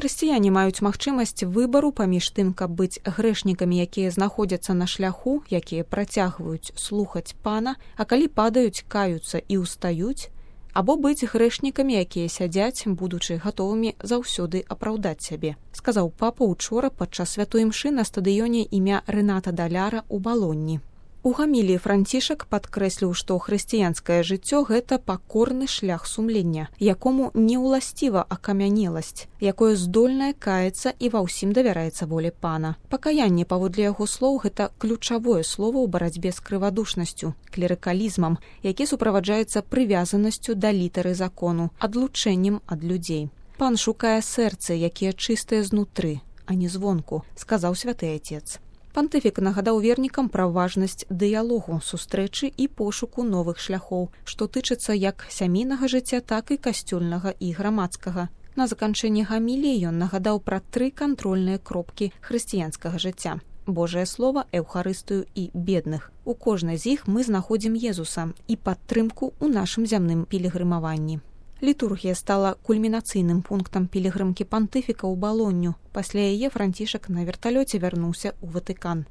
Хрысціяне маюць магчымасць выбару паміж тым, каб быць грэшнікамі, якія знаходзяцца на шляху, якія працягваюць слухаць Пана, а калі падаюць, каюцца і ўстаюць, або быць грэшнікамі, якія сядзяць, будучы гатовымі заўсёды апраўдаць сябе, сказаў папа учора падчас святой імшы на стадыёне імя Рэната Даляра ў Балонні. У гаміліі Францішак падкрэсліў, што хрысціянскае жыццё – гэта пакорны шлях сумлення, якому не ўласціва акамянеласць, якое здольнае каяцца і ва ўсім давяраецца волі Пана. Пакаянне, паводле яго слоў, гэта ключавое слово ў барацьбе з крывадушнасцю, клерыкалізмам, які суправаджаецца прывязанасцю да літары закону, адлучэннем ад людзей. Пан шукае сэрцы, якія чыстыя знутры, а не звонку, сказаў святы Отец. Пантыфік нагадаў вернікам пра важнасць дыялогу, сустрэчы і пошуку новых шляхоў, што тычыцца як сямейнага жыцця, так і касцёльнага і грамадскага. На заканчэнні гаміліі ён нагадаў пра 3 кантрольныя кропкі хрысціянскага жыцця. Божае Слова, Эўхарыстыю і бедных. У кожнай з іх мы знаходзім Езуса і падтрымку ў нашым зямным пілігрымаванні. Літургія стала кульмінацыйным пунктам пілігрымкі пантыфіка ў Балонню. Пасля яе Францішак на верталёце вярнуўся ў Ватыкан.